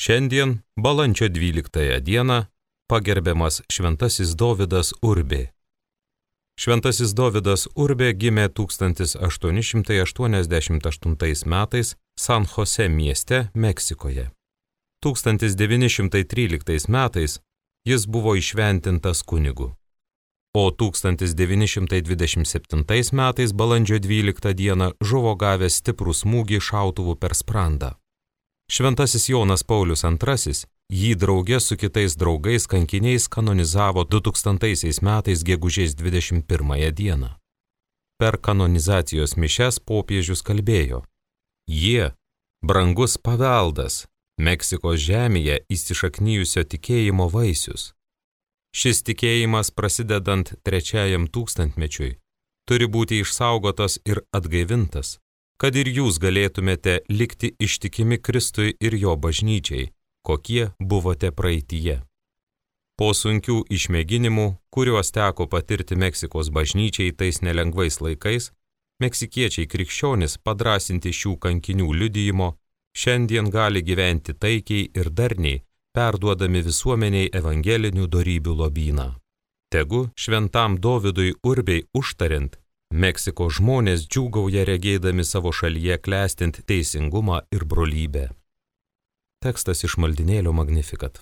Šiandien, balandžio 12 dieną, pagerbiamas Šventasis Dovydas Urbė. Šventasis Dovydas Urbė gimė 1888 metais San Jose mieste, Meksikoje. 1913 metais jis buvo įšventintas kunigu, o 1927 metais balandžio 12 dieną žuvo gavęs stiprų smūgį šautuvu per sprandą. Šventasis Jonas Paulius II jį drauge su kitais draugais kankiniais kanonizavo 2000 metais gegužės 21 dieną. Per kanonizacijos mišias popiežius kalbėjo: jie, brangus paveldas, Meksikos žemėje įsišaknijusio tikėjimo vaisius. Šis tikėjimas, prasidedant 3 tūkstantmečiui, turi būti išsaugotas ir atgaivintas, kad ir jūs galėtumėte likti ištikimi Kristui ir jo bažnyčiai, kokie buvote praeityje. Po sunkių išmėginimų, kuriuos teko patirti Meksikos bažnyčiai tais nelengvais laikais, meksikiečiai krikščionys, padrąsinti šių kankinių liudijimo, šiandien gali gyventi taikiai ir darniai, perduodami visuomeniai evangelinių dorybių lobyną. Tegu šventam Dovydui Urbei užtariant, Meksikos žmonės džiūgauja regėdami savo šalyje klestint teisingumą ir brolybę. Tekstas iš maldynėlio Magnificat.